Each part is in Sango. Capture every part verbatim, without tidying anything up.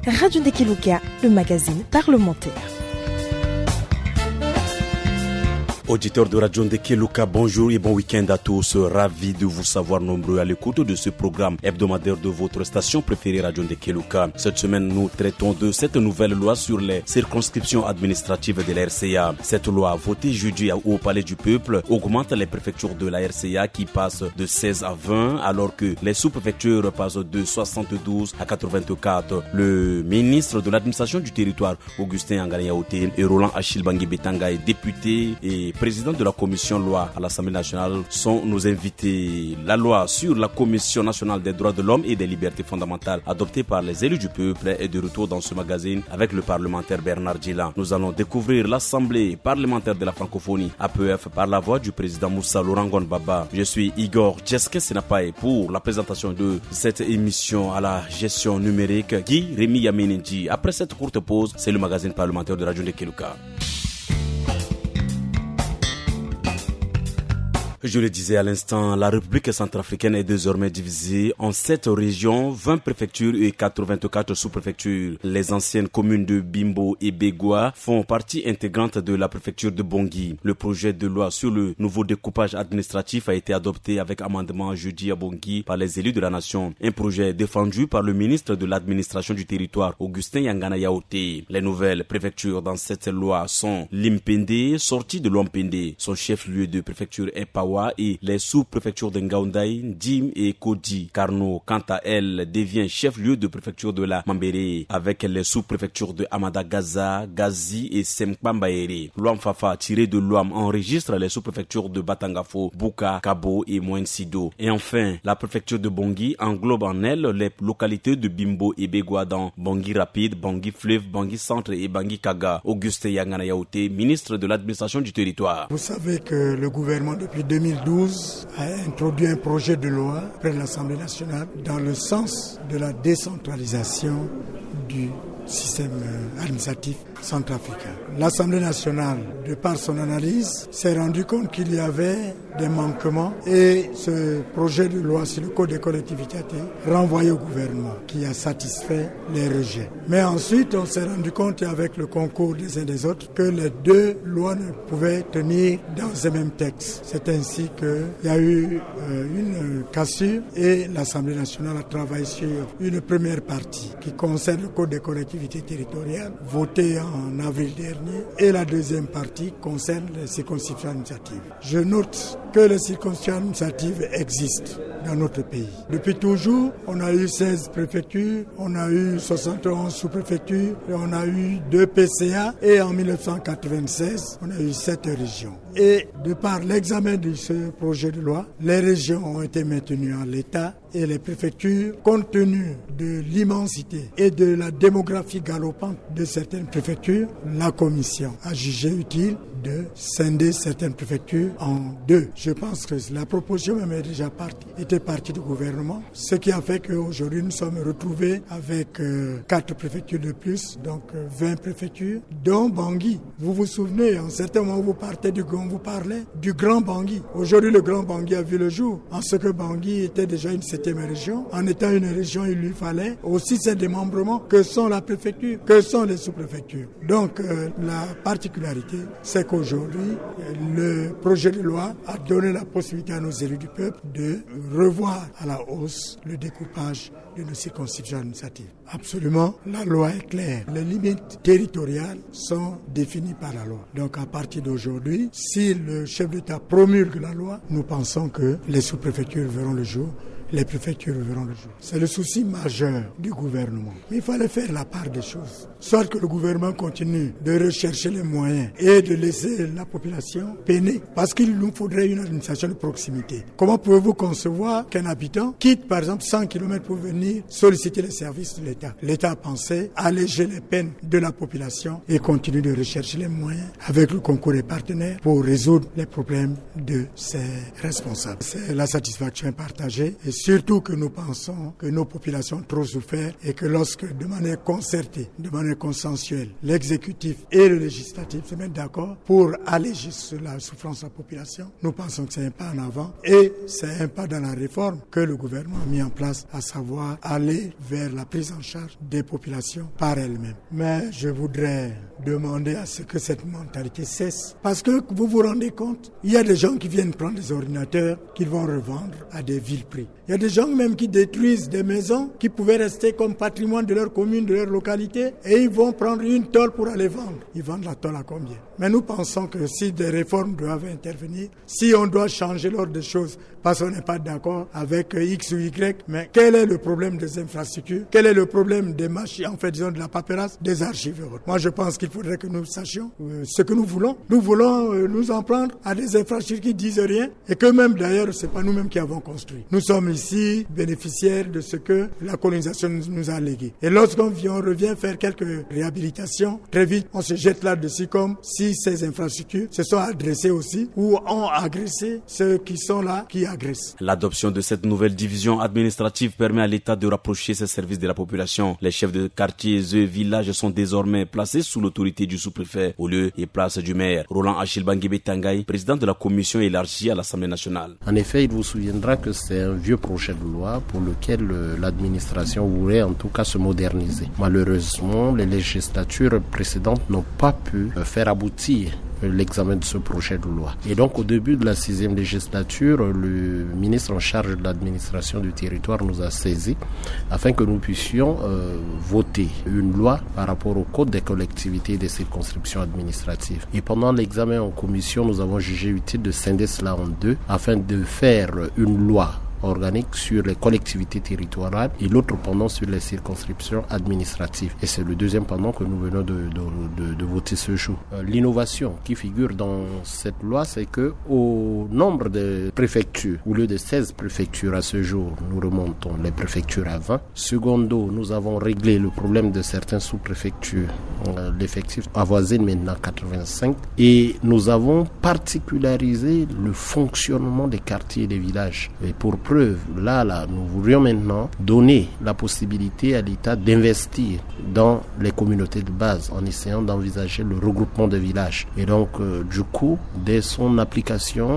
Radio Ndekeluka, le magazine parlementaire. Auditeurs de Radio Ndekeluka, bonjour et bon week-end à tous. Ravi de vous savoir nombreux à l'écoute de ce programme hebdomadaire de votre station préférée, Radio Ndekeluka. Cette semaine, nous traitons de cette nouvelle loi sur les circonscriptions administratives de la R C A. Cette loi, votée jeudi au Palais du Peuple, augmente les préfectures de la R C A qui passent de seize à vingt, alors que les sous-préfectures passent de soixante-douze à quatre-vingt-quatre. Le ministre de l'administration du territoire, Augustin Yangana Yaoté, et Roland Achille Bangui Betanga, est député et président de la commission loi à l'Assemblée nationale, sont nos invités. La loi sur la Commission nationale des droits de l'homme et des libertés fondamentales, adoptée par les élus du peuple, est de retour dans ce magazine avec le parlementaire Bernard Djilan. Nous allons découvrir l'Assemblée parlementaire de la francophonie, A P F, par la voix du président Moussa Laurent Gon Baba. Je suis Igor Djeske Senapaye pour la présentation de cette émission. À la gestion numérique, Guy Rémy Yamini Ndi. Après cette courte pause, c'est le magazine parlementaire de Radio Ndekeluka. Je le disais à l'instant, la République centrafricaine est désormais divisée en sept régions, vingt préfectures et quatre-vingt-quatre sous-préfectures. Les anciennes communes de Bimbo et Begoua font partie intégrante de la préfecture de Bangui. Le projet de loi sur le nouveau découpage administratif a été adopté avec amendement jeudi à Bangui par les élus de la nation. Un projet défendu par le ministre de l'administration du territoire, Augustin Yangana Yaoté. Les nouvelles préfectures dans cette loi sont Limpende, sortie de Lompende. Son chef-lieu de préfecture est Pawa et les sous-préfectures de Ngaoundai, Ndim et Kodi. Karno, quant à elle, devient chef-lieu de préfecture de la Mambéré, avec les sous-préfectures de Hamada Gaza, Gazi et Sempamba Ere. Loamfafa, tiré de Loam, enregistre les sous-préfectures de Batangafo, Bouka, Kabo et Moen Sido. Et enfin, la préfecture de Bangui englobe en elle les localités de Bimbo et Begoua dans Bangui Rapide, Bangui Fleuve, Bangui Centre et Bangui Kaga. Augustin Yangana Yaoté, ministre de l'administration du territoire. Vous savez que le gouvernement, depuis deux mille douze, a introduit un projet de loi auprès de l'Assemblée nationale dans le sens de la décentralisation du système, euh, administratif centrafricain. L'Assemblée nationale, de par son analyse, s'est rendu compte qu'il y avait des manquements et ce projet de loi sur le code des collectivités a été renvoyé au gouvernement qui a satisfait les rejets. Mais ensuite, on s'est rendu compte, avec le concours des uns des autres, que les deux lois ne pouvaient tenir dans un même texte. C'est ainsi qu'il y a eu, euh, une cassure et l'Assemblée nationale a travaillé sur une première partie qui concerne le code des collectivités territoriales, voté en avril dernier, et la deuxième partie concerne les circonscriptions administratives. Je note que les circonscriptions administratives existent dans notre pays. Depuis toujours, on a eu seize préfectures, on a eu soixante et onze sous-préfectures, et on a eu deux P C A, et en mille neuf cent quatre-vingt-seize, on a eu sept régions. Et de par l'examen de ce projet de loi, les régions ont été maintenues en l'état et les préfectures, compte tenu de l'immensité et de la démographie galopante de certaines préfectures, la commission a jugé utile de scinder certaines préfectures en deux. Je pense que la proposition même est déjà partie, était partie du gouvernement, ce qui a fait qu'aujourd'hui nous sommes retrouvés avec, euh, quatre préfectures de plus, donc, euh, vingt préfectures, dont Bangui. Vous vous souvenez, en certains moments, vous partez du, on vous parlait du Grand Bangui. Aujourd'hui, le Grand Bangui a vu le jour, en ce que Bangui était déjà une septième région. En étant une région, il lui fallait aussi ses démembrements, que sont la préfecture, que sont les sous-préfectures. Donc, euh, la particularité, c'est qu'aujourd'hui, euh, le projet de loi a donné la possibilité à nos élus du peuple de revoir à la hausse le découpage de nos circonscriptions administratives. Absolument, la loi est claire. Les limites territoriales sont définies par la loi. Donc, à partir d'aujourd'hui, si le chef d'État promulgue la loi, nous pensons que les sous-préfectures verront le jour, les préfectures verront le jour. C'est le souci majeur du gouvernement. Il fallait faire la part des choses. Soit que le gouvernement continue de rechercher les moyens et de laisser la population peiner, parce qu'il nous faudrait une administration de proximité. Comment pouvez-vous concevoir qu'un habitant quitte, par exemple, cent kilomètres pour venir solliciter les services de l'État ? L'État a pensé alléger les peines de la population et continue de rechercher les moyens, avec le concours des partenaires, pour résoudre les problèmes de ses responsables. C'est, la satisfaction est partagée et Surtout que nous pensons que nos populations ont trop souffert et que lorsque, de manière concertée, de manière consensuelle, l'exécutif et le législatif se mettent d'accord pour alléger sur la souffrance de la population, nous pensons que c'est un pas en avant et c'est un pas dans la réforme que le gouvernement a mis en place, à savoir aller vers la prise en charge des populations par elles-mêmes. Mais je voudrais demander à ce que cette mentalité cesse. Parce que vous vous rendez compte, il y a des gens qui viennent prendre des ordinateurs qu'ils vont revendre à des vils prix. Il y a des gens même qui détruisent des maisons qui pouvaient rester comme patrimoine de leur commune, de leur localité, et ils vont prendre une tôle pour aller vendre. Ils vendent la tôle à combien ? Mais nous pensons que si des réformes doivent intervenir, si on doit changer l'ordre des choses, parce qu'on n'est pas d'accord avec X ou Y, mais quel est le problème des infrastructures ? Quel est le problème des machines, en fait, disons, de la paperasse, des archives et autres ? Moi, je pense qu'il faudrait que nous sachions, euh, ce que nous voulons. Nous voulons, euh, nous en prendre à des infrastructures qui disent rien et que même, d'ailleurs, c'est pas nous-mêmes qui avons construit. Nous sommes ici bénéficiaires de ce que la colonisation nous, nous a légué. Et lorsqu'on vient, on revient faire quelques réhabilitations, très vite, on se jette là-dessus comme si ces infrastructures se sont adressées aussi ou ont agressé ceux qui sont là, qui agressent. L'adoption de cette nouvelle division administrative permet à l'État de rapprocher ses services de la population. Les chefs de quartiers et villages sont désormais placés sous l'autorité du sous-préfet au lieu et place du maire. Roland Achille Bangui Betangay, président de la commission élargie à l'Assemblée nationale. En effet, il vous souviendra que c'est un vieux projet de loi pour lequel, euh, l'administration voulait en tout cas se moderniser. Malheureusement, les législatures précédentes n'ont pas pu, euh, faire aboutir, euh, l'examen de ce projet de loi. Et donc, au début de la sixième législature, le ministre en charge de l'administration du territoire nous a saisis afin que nous puissions, euh, voter une loi par rapport au code des collectivités et des circonscriptions administratives. Et pendant l'examen en commission, nous avons jugé utile de scinder cela en deux afin de faire une loi organique sur les collectivités territoriales et l'autre pendant sur les circonscriptions administratives. Et c'est le deuxième pendant que nous venons de, de, de, de voter ce jour. Euh, l'innovation qui figure dans cette loi, c'est que au nombre de préfectures, au lieu de seize préfectures à ce jour, nous remontons les préfectures à vingt. Secondo, nous avons réglé le problème de certains sous-préfectures. Euh, l'effectif avoisine maintenant quatre-vingt-cinq. Et nous avons particularisé le fonctionnement des quartiers et des villages. Et pour preuve, là, là, nous voudrions maintenant donner la possibilité à l'État d'investir dans les communautés de base en essayant d'envisager le regroupement des villages. Et donc, euh, du coup, dès son application,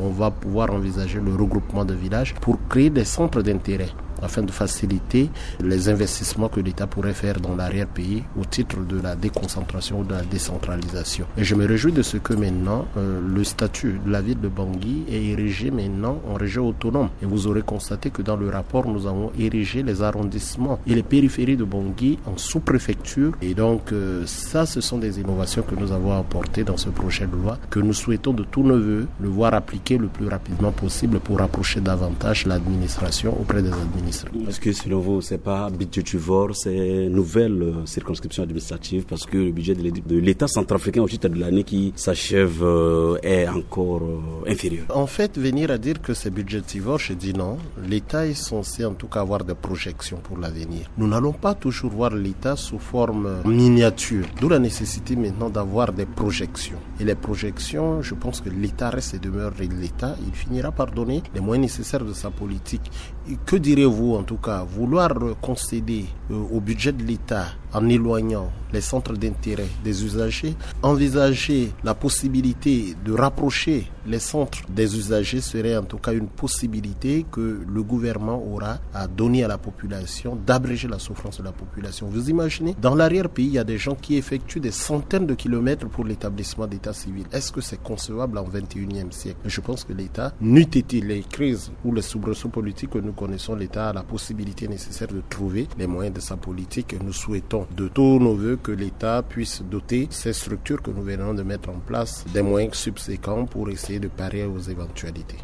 on va pouvoir envisager le regroupement des villages pour créer des centres d'intérêt afin de faciliter les investissements que l'État pourrait faire dans l'arrière-pays au titre de la déconcentration ou de la décentralisation. Et je me réjouis de ce que maintenant, euh, le statut de la ville de Bangui est érigé maintenant en région autonome. Et vous aurez constaté que dans le rapport, nous avons érigé les arrondissements et les périphéries de Bangui en sous-préfecture. Et donc, euh, ça, ce sont des innovations que nous avons apportées dans ce projet de loi que nous souhaitons de tous nos voeux le voir appliqué le plus rapidement possible pour rapprocher davantage l'administration auprès des administrés. Est-ce que selon vous, c'est pas budgétivore ces nouvelles, euh, circonscriptions administratives, parce que le budget de l'État, de l'État centrafricain au titre de l'année qui s'achève, euh, est encore, euh, inférieur ? En fait, venir à dire que c'est budgétivore, je dis non. L'État est censé en tout cas avoir des projections pour l'avenir. Nous n'allons pas toujours voir l'État sous forme miniature, d'où la nécessité maintenant d'avoir des projections. Et les projections, je pense que l'État reste et demeure l'État. Il finira par donner les moyens nécessaires de sa politique. Et que direz-vous en tout cas, vouloir concéder, euh, au budget de l'État en éloignant les centres d'intérêt des usagers, envisager la possibilité de rapprocher les centres des usagers serait en tout cas une possibilité que le gouvernement aura à donner à la population, d'abréger la souffrance de la population. Vous imaginez, dans l'arrière-pays, il y a des gens qui effectuent des centaines de kilomètres pour l'établissement d'état civil. Est-ce que c'est concevable en vingt et unième siècle ? Je pense que l'État, n'eût été les crises ou les soubresauts politiques que nous connaissons, l'État a la possibilité nécessaire de trouver les moyens de sa politique. Et nous souhaitons de tous nos voeux que l'État puisse doter ces structures que nous venons de mettre en place des moyens subséquents pour essayer de parer aux éventualités.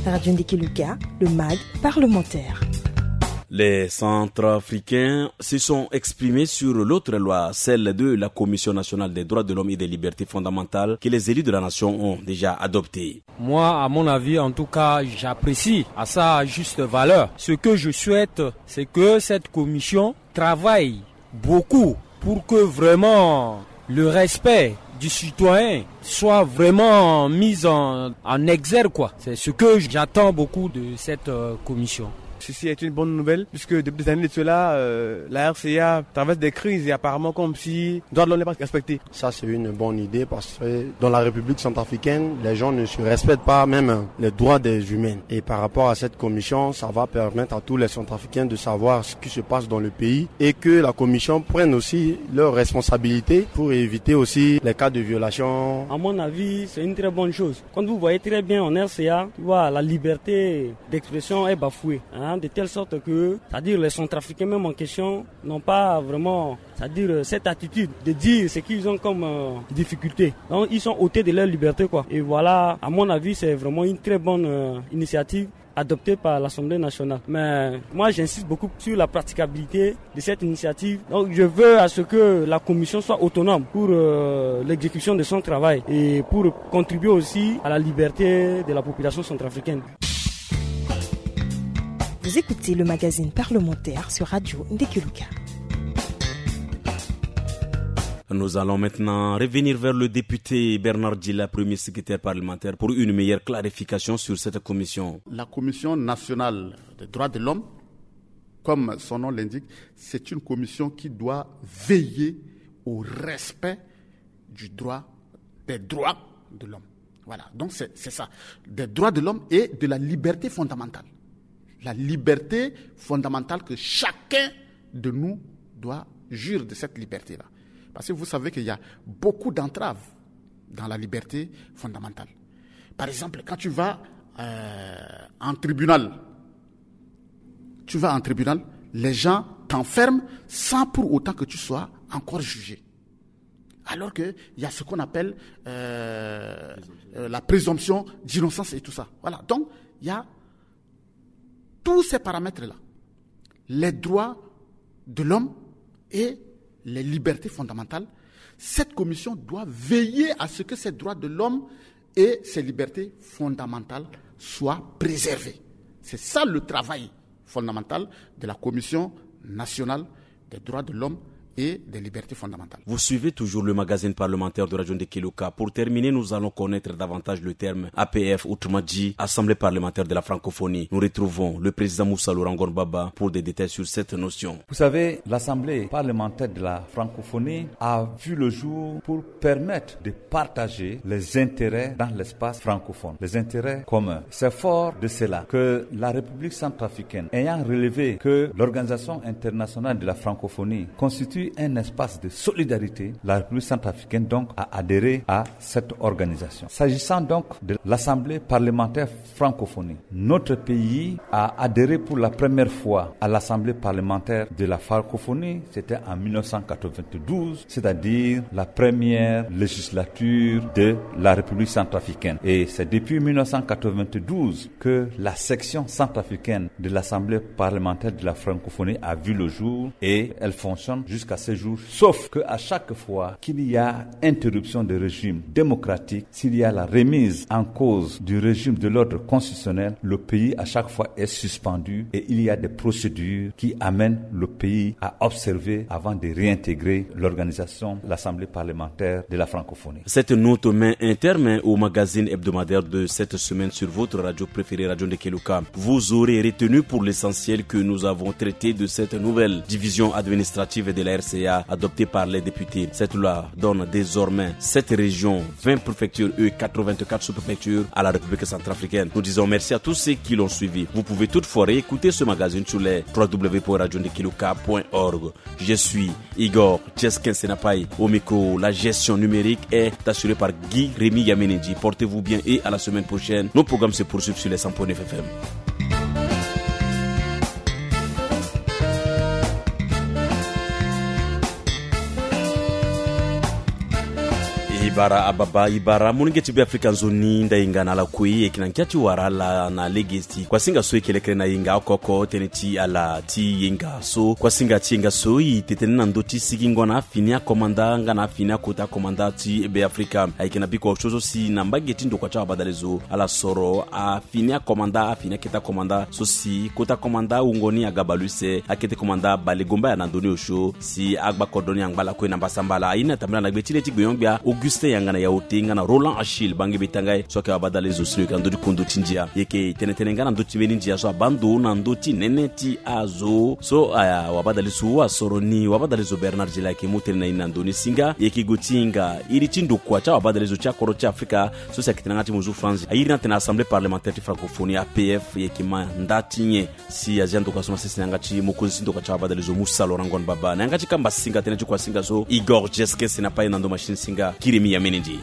Radio Ndiki Luka, le mag parlementaire. Les Centrafricains se sont exprimés sur l'autre loi, celle de la Commission nationale des droits de l'homme et des libertés fondamentales, que les élus de la nation ont déjà adoptée. Moi, à mon avis, en tout cas, j'apprécie à sa juste valeur. Ce que je souhaite, c'est que cette commission travaille beaucoup pour que vraiment le respect du citoyen soit vraiment mise en, en exergue, quoi. C'est ce que j'attends beaucoup de cette euh, commission. Ceci est une bonne nouvelle, puisque depuis des années de cela, euh, la R C A traverse des crises et apparemment comme si le droit de l'homme n'est pas respecté. Ça, c'est une bonne idée parce que dans la République centrafricaine, les gens ne se respectent pas, même les droits des humains. Et par rapport à cette commission, ça va permettre à tous les centrafricains de savoir ce qui se passe dans le pays et que la commission prenne aussi leurs responsabilités pour éviter aussi les cas de violation. À mon avis, c'est une très bonne chose. Quand vous voyez très bien en R C A, tu vois, la liberté d'expression est bafouée, hein, de telle sorte que, c'est-à-dire les centrafricains même en question, n'ont pas vraiment, c'est-à-dire euh, cette attitude de dire ce qu'ils ont comme euh, difficulté. Donc ils sont ôtés de leur liberté, quoi. Et voilà, à mon avis, c'est vraiment une très bonne euh, initiative adoptée par l'Assemblée nationale. Mais moi, j'insiste beaucoup sur la praticabilité de cette initiative. Donc je veux à ce que la commission soit autonome pour euh, l'exécution de son travail et pour contribuer aussi à la liberté de la population centrafricaine. Vous écoutez le magazine parlementaire sur Radio Ndekeluka. Nous allons maintenant revenir vers le député Bernard Djila, premier secrétaire parlementaire, pour une meilleure clarification sur cette commission. La Commission nationale des droits de l'homme, comme son nom l'indique, c'est une commission qui doit veiller au respect du droit, des droits de l'homme. Voilà, donc c'est ça, des droits de l'homme et de la liberté fondamentale. La liberté fondamentale que chacun de nous doit jouir de cette liberté-là. Parce que vous savez qu'il y a beaucoup d'entraves dans la liberté fondamentale. Par exemple, quand tu vas euh, en tribunal, tu vas en tribunal, les gens t'enferment sans pour autant que tu sois encore jugé. Alors qu'il y a ce qu'on appelle euh, euh, la présomption d'innocence et tout ça. Voilà. Donc, il y a tous ces paramètres-là. Les droits de l'homme et les libertés fondamentales. Cette commission doit veiller à ce que ces droits de l'homme et ces libertés fondamentales soient préservées. C'est ça le travail fondamental de la Commission nationale des droits de l'homme et des libertés fondamentales. Vous suivez toujours le magazine parlementaire de Radio Ndekeluka. Pour terminer, nous allons connaître davantage le terme A P F, autrement dit Assemblée parlementaire de la francophonie. Nous retrouvons le président Moussa Laurent Gorbaba pour des détails sur cette notion. Vous savez, l'Assemblée parlementaire de la francophonie a vu le jour pour permettre de partager les intérêts dans l'espace francophone, les intérêts communs. C'est fort de cela que la République centrafricaine, ayant relevé que l'Organisation internationale de la francophonie constitue un espace de solidarité, la République centrafricaine donc a adhéré à cette organisation. S'agissant donc de l'Assemblée parlementaire francophonie, notre pays a adhéré pour la première fois à l'Assemblée parlementaire de la francophonie, c'était en mille neuf cent quatre-vingt-douze, c'est-à-dire la première législature de la République centrafricaine. Et c'est depuis mille neuf cent quatre-vingt-douze que la section centrafricaine de l'Assemblée parlementaire de la francophonie a vu le jour et elle fonctionne jusqu'à ce jour, sauf que à chaque fois qu'il y a interruption de régime démocratique, s'il y a la remise en cause du régime de l'ordre constitutionnel, le pays à chaque fois est suspendu et il y a des procédures qui amènent le pays à observer avant de réintégrer l'organisation, l'Assemblée parlementaire de la francophonie. Cette note met un terme au magazine hebdomadaire de cette semaine sur votre radio préférée, Radio Ndekeluka. Vous aurez retenu pour l'essentiel que nous avons traité de cette nouvelle division administrative de la R C A adoptée par les députés. Cette loi donne désormais sept régions, vingt préfectures et quatre-vingt-quatre sous-préfectures à la République centrafricaine. Nous disons merci à tous ceux qui l'ont suivi. Vous pouvez toutefois réécouter ce magazine sur les trois w point radio ndekeluka point org. Je suis Igor Chesken Senapai au micro. La gestion numérique est assurée par Guy Rémy Yamenendi. Portez-vous bien et à la semaine prochaine. Nos programmes se poursuivent sur les cent point neuf F M. Ibara ababa, ibara. Molenge ti Be Afrika nzoni, nda hinga na ala kue. E yeke na ngia ti wara ala na lege ti kuasinga so e yeke lekere na hinga oko oko, tënë ti ala ti hinga so. Kuasinga ti hinga so e tene tënë na ndö ti sigingo na afini akomanda nga na afini akota akomanda ti Be Afrika. Ayeke na biko osio so si na mbage ti ndokua ti abadalezo ala soro afini akomanda, afini akete akomanda so si kota komanda wungo ni aga baleuse, akete komanda balegombaya na ndö ni osio si agba kodro ni angba lakue na mbasambala. Aye ni atambela na gbe ti le ti gbenyo-gbia Augustin Yanga na yaote nga na Roland Achille bange be tanga ye so ayeke wabadale zo si lo yeke na ndö ti kondo ti ndia. Yeke tene tene nga na ndö ti mbeni ndia so abaa ndo na ndö ti nene ti azo so awabadale zo asoro ni. Wabadale zo Bernard Gila ayeke mu tënë na ye ni na ndö ni singa. Yeke gue ti hinga iri ti ndokua ti awabadale zo ti akodro ti Afrika so si ayeke tene nga ti mozu France airi ni atene Assemblée parlementaire ti francophonie, A P F, yeke ma nda ti nyen. Si azia ndokua so na sese na yanga ti mokonzi ti ndokua ti awabadale zo Moussa Laurent Ngon Baba na yanga ti kamba singa tënë ti kuasinga so Igor Jeskes na paye na ndo machine singa Kiremi Yamenendi.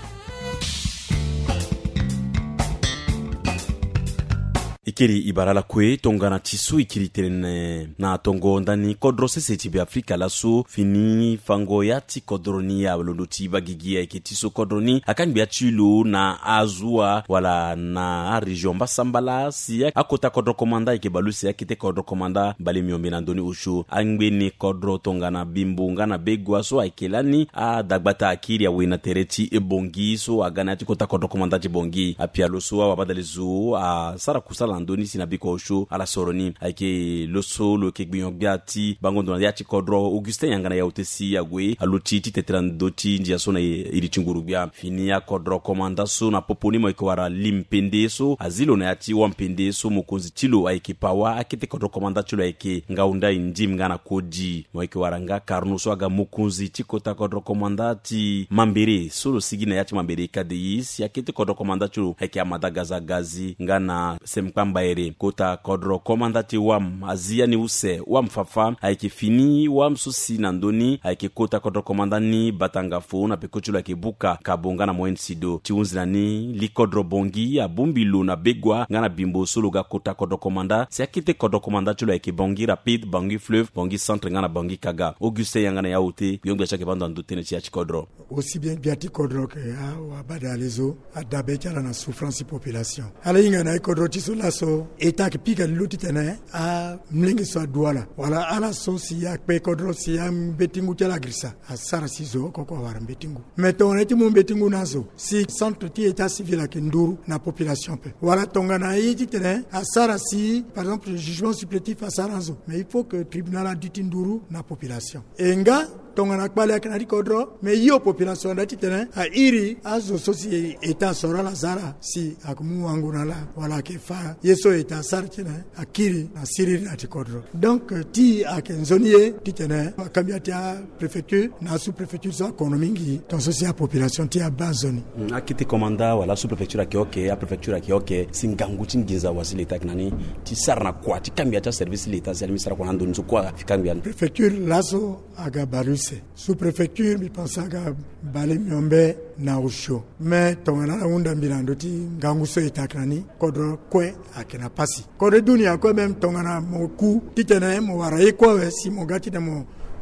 E kiri e bara lakue tongana ti so e kiri tene na tongo ndani kodro sese ti Beafrika laso fini fango ya ti kodro ni alondo ti baa gigi ayeke ti so kodro ni akangbi ya ti lo na azo wala na arégion mbasambala si akota kodro komanda ayeke baleuse akete kodro komanda mbale miombe na ndö ni osio angbeni kodro tongana Bimbo nga na Begua so ayeke lani adagbata akiri awe na tere ti Bongi so aga na ya ti kota kodro komanda ti Bongi. Apialo so awabadale zo asara kusala na ndö ni si na biko osio ala soro ni ayeke lo so lo yeke gbinyo gbia ti bango ndo na ya ti kodro Augustin Yanga na yaote si ague aluti ti tete na ndö ti ndia so na iri ti nguru gbia. Fini akodro komanda so na popo ni mo yeke wara li mpende so azi lo na ya ti wampende so mokonzi ti lo ayeke pawa akete kodro komanda ti lo ayeke ngau ndai ndim nga na kodi. Mo yeke wara nga karno so aga mokonzi ti kota kodro komanda ti mambere so lo sigi na ya ti mambere kadei si akete kodro komanda ti lo ayeke amada gaza gazi nga na semkpamba ere. Kota kodro komanda ti wam azi ya ni use wam fafa ayeke fini wam so si na ndö ni ayeke kota kodro komanda ni batanga fo na peko ti lo ayeke buka kabo nga na moyen sido ti hunzi na ni li kodro Bongi abongbi lo na Begua nga na Bimbo so lo ga kota kodro komanda si akete kodro komanda ti lo ayeke Bongi rapide, Bongi fleuve, Bongi centre nga na Bongi kaga. Augustin Yanga na yaote gbiongbia ti ayeke bando na ndö tënë ti ya ti kodro. Aussi bien gbia ti kodro ke awabadale zo adabe ti ala na souffrance ti population. Ala hinga na e kodro ti so laso e ta ayeke pika lilo titene amlenge so adu ala wala ala so si akpe kodro si ambetingu ti ala agirisa asara si zo oko oko awara mbetingu. Mais tongana ye ti mu mbetingu na azo si centre ti état civil ayeke nduru na population pe wala tongana ye titene asara si par exemple jugement supplétif asara na zo mais il faut que tribunal adu ti nduru na population. E nga tongana kpale ayeke na ti kodro mais yo population anda titene airi azo so si état asoro ala za ala si ayeke mu wango na ala wala ayeke fa ye so état asara titene akiri na siriri na ti kodro. Donc ti ayeke nzoni ye titene akambia ti apréfecture na asous-préfecture so akono mingi tongaso si apopulation ti abaa nzoni. Akete komanda wala asous-préfecture ayeke oke, apréfecture ayeke oke si ngangu ti nginza wa si l'état ayeke na ni ti sara na kua ti kangbi ya ti aservice ti l'état si alingbi sara kua na ndo ni so kua afi kangbi ya ni. Préfecture laso aga baleuse. Sous-préfecture mbi pense aga bale miombe na osio. Mais tongana ala hunda mbi na ndö ti ngangu so état ayeke na ni kodro kue ayeke na pasi. Kodro ti dunia kue même tongana mo ku titene mo wara ye kue awe si mo ga titene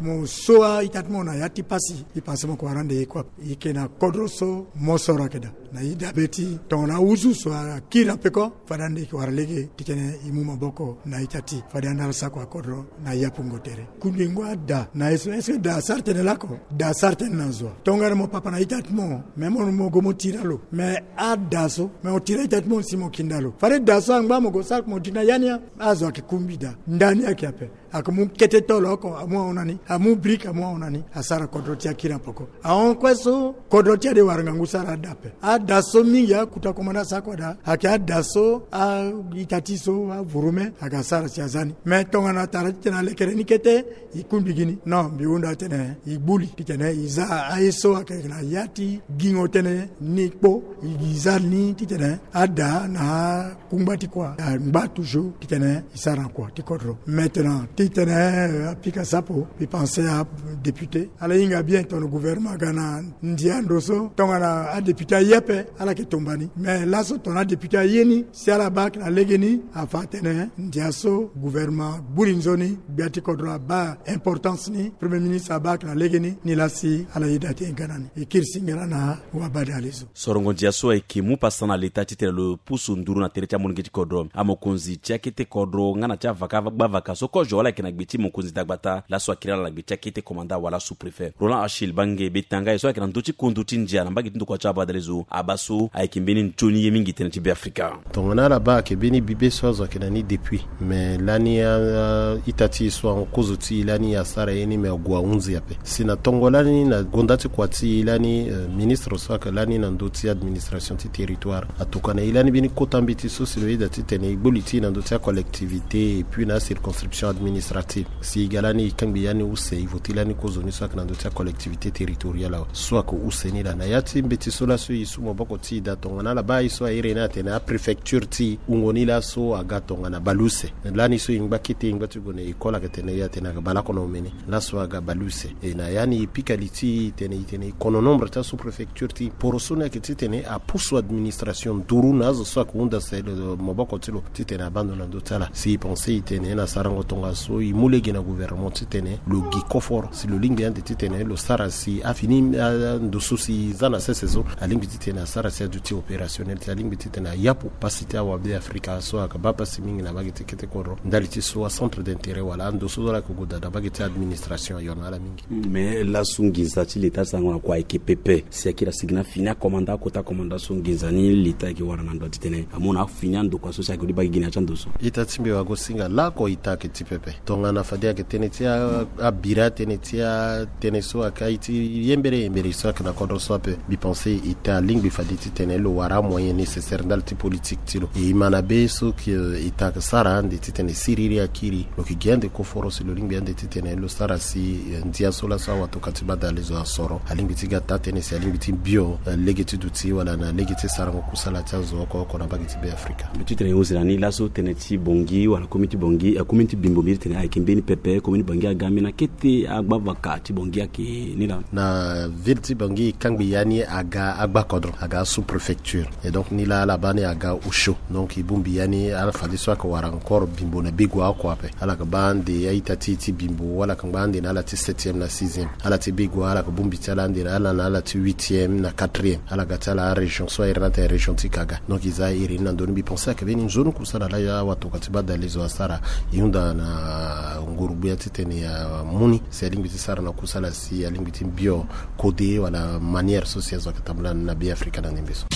mo so a-ita ti mo na ya ti pasi mbi pense mo yeke wara ande ye kue ape. E yeke na kodro so mosoro ayeke daa na e dabe ti tongana ahuzu so akiri na peko fade ande e yeke wara lege titene e mu maboko na a-ita ti e fade ande ala sara kua kodro na yapungo tere. Kundengo ada na ye so est-ce que da asara tënë lako? Da asara tënë na zo. Tongana mo papa na a-ita ti mo mais mo mo go mo tira lo mais ada so mais mo tira a-ita ti mo si mo kinda lo fade da so angba mo go sara mo di na ya ni. Azo ayeke kungbi daa ndani ayeke ape. Ayeke mu kete tolo oko amu ahon na ni amu brique amu ahon na ni asara kodro ti akiri na poko. Ahon kue so kodro ti ade wara ngangu sara ada ape. Ada so mingi akuta komanda asara kua daa ayeke ada so a-ita ti so avurume aga asara si aza ni. Mais tongana tara titene alekere ni kete e kungbi gi ni non mbi hunda titene e gbu li titene e za aye so ayeke na ya ti gingo tënë ni kpo e za ni titene ada na akungba ti kua angba toujours titene e sara na kua ti kodro. Maintenant titene apika sapo mbi pense adéputé ala hinga bien tongana gouvernement aga na ndia ndo so tongana adéputé aye ape ala yeke tomba ni mais laso tongana adéputé aye ni si ala baa ayeke na legeni afa atene ndia so gouvernement gbu li nzoni gbia ti kodro abaa importance ni premier ministre abaa ayeke na legeni ni laa si ala yeda ti hinga na ni. E kiri singela na wabadale zo. Sorongo ndia so ayeke mu pasa na leta titene lo pusu nduru na tere ti amolenge ti kodro amokonzi ti akete kodro nga na ti avaka gbavaka so kozo wala Ayeke na gbe ti mokonzi dagbata laso akiri ala na gbe ti akete komanda wala sous-préfet. Roland Achille Bange Betanga, e so ayeke na ndö ti kundu ti ndia na mbage ti ndokua ti abadalezo, abaa so ayeke mbeni nzoni ye mingi tënë ti Beafrika. Tongana ala baa ayeke mbeni bibe so azo ayeke na ni depuis, me lani a, a, ita ti e so ahon kozo ti e lani asara ye ni, me ague ahunzi ape. Si na tongo lani na gonda ti kua ti e lani, eh, ministre so ayeke lani na ndö ti administration ti territoire atokua na e lani mbeni kota mbeti so si lo yeda titene e gbu li ti e na ndö ti acollectivité et puis na acirconscription administrative. Si e ga lani e kangbi ya ni use, e voti lani kozo ni so ayeke na ndö ti acollectivité territoriale awe. So ayeke use ni laa na ya ti mbeti so laso e su maboko ti e daa tongana ala baa e so airi ni atene apréfecture ti e wungo ni laso aga tongana baleuse. Lani so e ngba kete, e ngba ti gue na école, ayeke tene e atene ayeke baleoko na omene. Laso aga baleuse. E na ya ni e pika li ti e tene e tene e kono nombre ti asous-préfecture ti e. Poroso ni ayeke titene apusu administration nduru na azo so ayeke hunda sele maboko ti lo titene abaa ndo na ndö ti ala. Si e pense e tene na sarango tongaso e mu lege na gouvernement titene lo gi koforo si lo lingbi ande titene lo sara si afini, ah, ndo so si e za na sese so alingbi titene asara si aduti opérationnel, si alingbi titene a yapu pasi ti awabe afrika so ayeke baa pasi mingi na mbage ti kete kodro ndali ti so acentre d'intérêt wala ando so so ala yeke gue daa na mbage ti administration ayo na ala mingi. Mais laso nginza ti leta ti sango na kua ayeke pepe. Si akiri asigi na fini akomanda, akota komanda so nginza ni leta ayeke wara na ndo titene amu na afini andokua so si ayeke odi baa gi gi na ya ti ando so. Ita ti mbi wago singa lako ita ayeke ti pepe. Tongana fade ayeke tënë ti a, abira tënë ti atënë so ayeke aye ti yembere yembere so ayeke na kodro so ape. Mbi pense ita alingbi fade titene lo wara amoyen nécessaire ndali ti politique ti lo. E ma na be so ke, eh, ita ayeke sara ande titene siriri akiri. Lo yeke gi ande koforo si lo lingbi ande titene lo sara si, eh, ndia so laso awatoka ti badale zo asoro. Alingbi ti ga taa tënë si alingbi ti bio, eh, lege ti duti wala na lege ti sarango kusala ti azo oko oko na mbage ti Beafrika. Mbi ti tene e hunda na ni laso tënë ti Bangui wala komin ti Bangui, eh, komin ti Bimbo, mbi ti tene ayeke mbeni pepe, komin ti Bangui aga mbi na kete agbavaka ti Bangui ayeke ni laa. Na ville ti Bangui e kangbi ya ni aga agbakodro, aga sous-préfecture. Et donc ni laa ala baa ni aga osio. Donc e bongbi ya ni ala fade so ayeke wara encore Bimbo na Begoua oko ape. Ala yeke baa ande a-ita ti e ti Bimbo, ala yeke ngba ande na ala ti septième na sixième. Ala ti Begoua ala yeke bongbi ti ala ande na ala na ala ti huitième na quatrième. Ala ga ti ala arégion so airi ni atene région ti Kaga. Donc e za iri ni na ndö ni, mbi pense ayeke mbeni nzoni kusala laa awatoka ti badale zo asara. E hunda na nguru-gbia titene amu ni si alingbi ti sara na kusala si alingbi ti mbio kode wala manière so si azo ayeke tambula na Beafrika na ndembe so.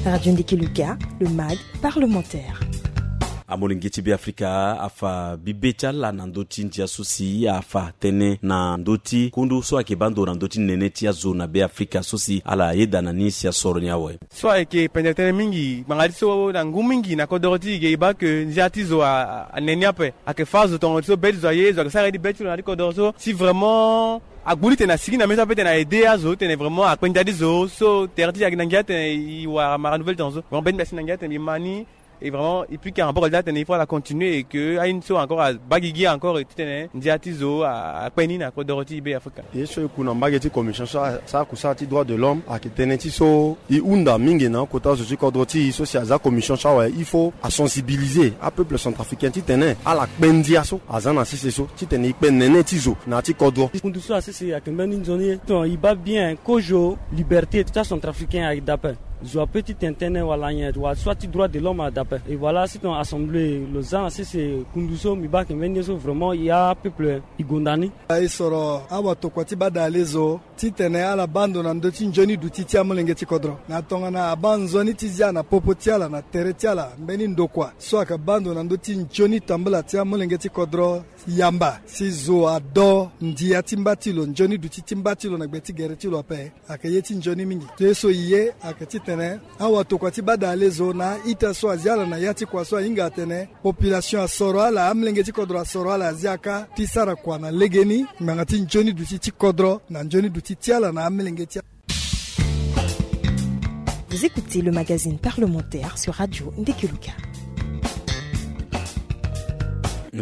Radio Ndiki Luka, le mag parlementaire. Amolenge ti Beafrika afa bibe ti ala na ndö ti ndia so si afa tënë na ndö ti kundu so ayeke baa ndo na ndö ti nene ti azo na Beafrika so si ala yeda na ni si asoro ni awe. So ayeke pendere tënë mingi ngbanga ti so na ngu mingi na kodoro ti e ge e baa ke ndia ti zo a, a, anene ape. Ayeke fâ azo tonga ti so be ti zo aye, zo ayeke sara ye ti be ti lo na ya ti kodoro so si vraiment agbu li tene asigi na mbeni so ape tene a aidé azo tene vraiment akpe ndia ti zo so tere ti e ayeke na ngia tene e wara mara nouvelle tonga so. Vraiment be ti mbi asi na ngia tene mbi ma ni. Et vraiment e pika maboko ti atene il faut ala continuer et que aye ni so encore abaa gigi encore titene ndia ti zo a, akpe ni na kodoro ti Beafrika. Ye so e ku na mbage ti commission so asara kusala ti droit de l'homme ayeke tënë ti so e hunda mingi na akota zo ti kodro ti e so si aza commission so awe, il faut asensibiliser apeuple centrafricain titene ala kpe ndia so aza na sese so titene e kpe nene ti zo na ya ti kodro. Kundu so asese ayeke mbeni nzoni ye. Tongana e baa bien kozo liberté ti acentrafricain ayeke daa ape. Zo ape ti tene tënë wala nyen wala soit ti droit de l'homme ayeke daa ape. Et voilà si tongana assemblée lo za na sese kundu so mbi baa ayeke mbeni ye so vraiment e apeuple e gonda ni. E soro awatokua ti badale zo titene ala baa ndo na ndö ti nzoni duti ti amolenge ti kodro na tongana abaa nzoni ti zia na popo ti ala na tere ti ala mbeni ndokua so ayeke baa ndo na ndö ti nzoni tambula ti amolenge ti kodro. Yamba si zo ado ndia ti mba ti lo, nzoni duti ti mba ti lo na gbe ti gere ti lo ape. Ayeke ye ti nzoni mingi. Ye so e ye ayeke titene awatokua ti badale zo na a-ita so azia ala na ya ti kua so ahinga atene population asoro ala, amolenge ti kodro asoro ala azia kâ ti sara kua na legeni ngbanga ti nzoni duti ti kodro na nzoni duti ti ala na amolenge ti. Vous écoutez le magazine parlementaire sur Radio Ndiki Luka.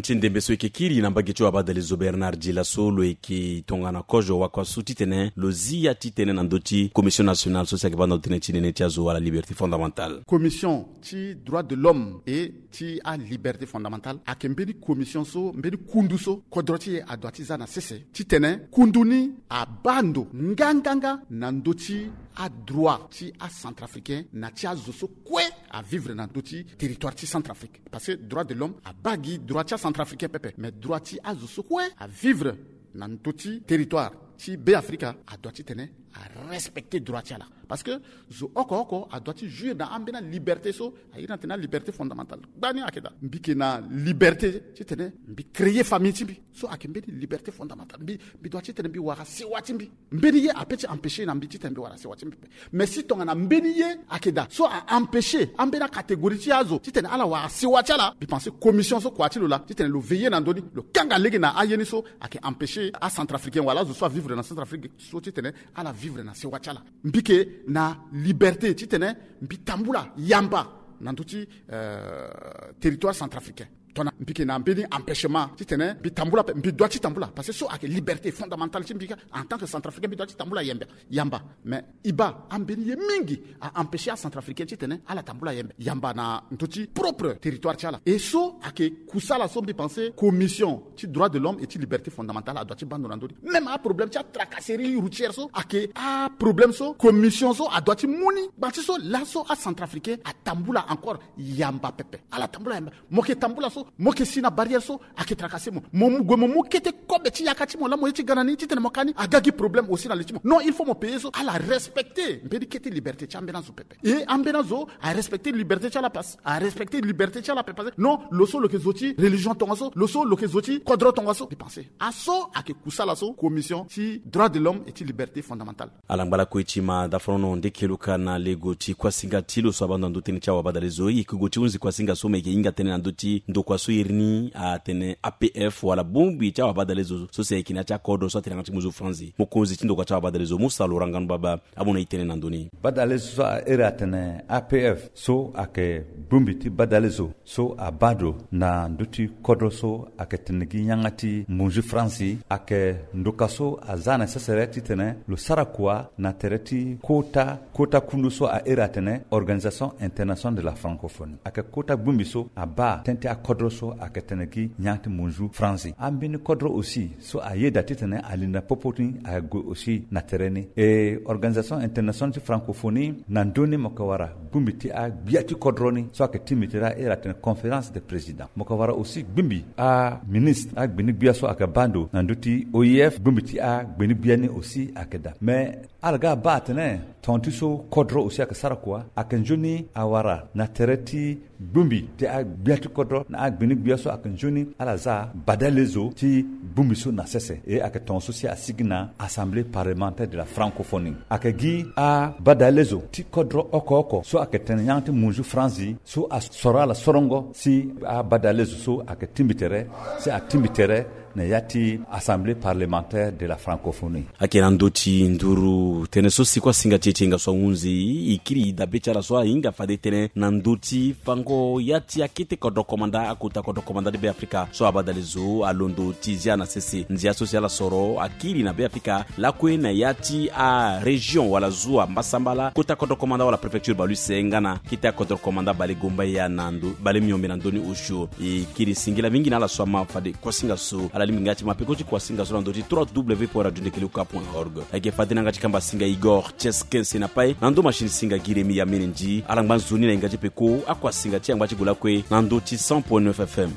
Ti ndembe so e yeke kiri na mbage ti wabadale zo Bernard Dila so lo yeke tongana kozo wakua so titene lo zi ya ti tënë na ndö ti commission nationale so si ayeke baa na ndo tënë ti nene ti azo wala liberté fondamentale. Commission ti droit de l'homme et ti aliberté fondamentale ayeke mbeni commission so mbeni kundu so kodro ti e adoit ti za na sese titene kundu ni abaa ndo nganganga na ndö ti adroit ti acentrafricain na ti azo so kue avivre na ndö ti territoire ti Centrafrique. Parce que droit de l'homme abaa gi droit ti acentrafricain pepe, mais droit ti azo so kue avivre na ndö ti territoire ti Beafrika adoit titene arespecter droit ti ala. Parce que zo oko oko adoit ti jouir na ambeni aliberté so airi na tene aliberté fondamentale. Gbani ayeke daa, mbi yeke na liberté titene mbi créer famille ti mbi. So ayeke mbeni liberté fondamentale. Mbi, mbi doit titene mbi wara sewa ti mbi. Mbeni ye ape ti empêcher na mbi titene mbi wara sewa ti mbi. Mais si tongana mbeni ye ayeke daa so a-empêcher ambeni acatégorie ti azo titene ala wara sewa ti ala, mbi pense commission so kua ti lo laa titene lo veiller na ndö ni, lo kanga lege na aye ni so ayeke empêcher acentrafricain wala azo so avivre na Centrafrique so titene ala vivre na sewa ti ala. Mbi yeke na liberté titene mbi tambula yamba na ndö ti, euh, territoire centrafricain. Tongana mbi yeke na mbeni empêchement titene mbi tambula ape, mbi doit ti tambula, parce que so ayeke liberté fondamentale ti mbi kâ. En tant que centrafricain mbi doit ti tambula yamba, yamba. Mais e baa ambeni ye mingi a-empêcher acentrafricain titene ala tambula yamba, yamba na ndö ti propre territoire ti ala. E so ayeke kusala so mbi pense commission ti droit de l'homme et ti liberté fondamentale adoit ti baa ndo na ndö ni. Même aproblème ti atracasserie routière so ayeke aproblème so commission so adoit ti mu ni. Gba ti so laso acentrafricain atambula encore yamba pepe. Ala tambula yamba. Mo yeke tambula so, mo yeke si na barrière so, ayeke tracasser mo. Mo mu gue mo mu kete kobe ti yaka ti mo laa mo ye ti ga na ni titene mo ka ni, aga gi problème aussi na li ti mo. Non, il faut mo payer so. Ala respecter mbeni kete liberté ti ambeni azo pepe. E ambeni azo arespecter liberté ti ala, parce arespecter liberté ti ala pepe. Non, lo so lo yeke zo ti religion tongaso, lo so lo yeke zo ti kodro tongaso. Mbi pense aso ayeke kusala so commission ti droit de l'homme et ti liberté fondamentale. Ala ngba lakue ti ma dafrono nde keluka na lego ti kuasinga ti lo so abaa ndo na ndö tënë ti awabadale zo. E yeke gue ti hunzi kuasinga so me yeke hinga tënë na ndö ti ndokua so iri ni atene A P F wala bongbi ti awabadale zo so si ayeke na ya ti akodro so atene yanga ti muzu franzi. Mokonzi ti ndokua ti awabadale zo Musa Laurent Nganou Baba amu na e tënë na ndö ni. Badale zo so a iri atene A P F so ayeke bongbi ti badale zo so abaa ndo na ndö ti kodro so ayeke tene gi yanga ti munzu franzi, ayeke ndoka so aza na sesere titene lo sara kua na tere ti kota, kota kundu so a iri atene Organisation Internationale de la Francophonie. Ayeke kota bongbi so abaa tënë ti akodro so ayeke tene gi yanga ti munzu franzi. Ambeni kodro aussi so ayeda titene ali na popo ti ni ague aussi na tere ni. E Organisation Internationale ti Francophonie na ndö ni mo yeke wara bongbi ti agbia ti kodro ni so ayeke tingbi tere a iri atene conférence des présidents. Mo yeke wara aussi bongbi aministre, agbeni gbia so ayeke baa ndo na ndö ti O I F, bongbi ti agbeni gbia ni aussi ayeke daa. Mais ala ga abaa atene tonga ti so kodro aussi ayeke sara kua, ayeke nzoni awara na tere ti bongbi ti agbia ti kodro na agbeni gbia so ayeke nzoni ala za badale zo ti bongbi so na sese. E ayeke tonga so si asigi na Assemblée parlementaire de la Francophonie. Ayeke gi abadale zo ti kodro oko oko so ayeke tene yanga ti munzu franzi so asoro ala sorongo si abadale zo so ayeke tingbi tere, si atingbi tere na ya ti Assemblée parlementaire de la Francophonie. Ayeke na ndö ti nduru tënë so si kuasinga ti e ti hinga so ahunzi, e kiri dabe ti ala so ahinga fade tënë na ndö ti fango ya ti akete kodro komanda, akota kodro komanda ti Beafrika so abadale zo alondo ti zia na sese ndia so si ala soro akiri na Beafrika lakue na ya ti arégion wala zu ambasambala, kota kodro komanda wala préfecture bale use nga na kete akodro komanda bale gomba ya na ndo, bale miombe na ndö ni osio. E kiri singila mingi na ala so ama fade kuasinga so. Ala lingbi nga ti ma peko ti kuasinga so na ndö ti trois W point radio ndekele uka point org. Ayeke fade na yanga ti kamba singa Igor Tchesken Senapai, na ndö machine singa Giremi Yamene Ndi. Ala ngba nzoni na yanga ti peko akuasinga ti yanga ti gue lakue na ndö ti cent point neuf F M.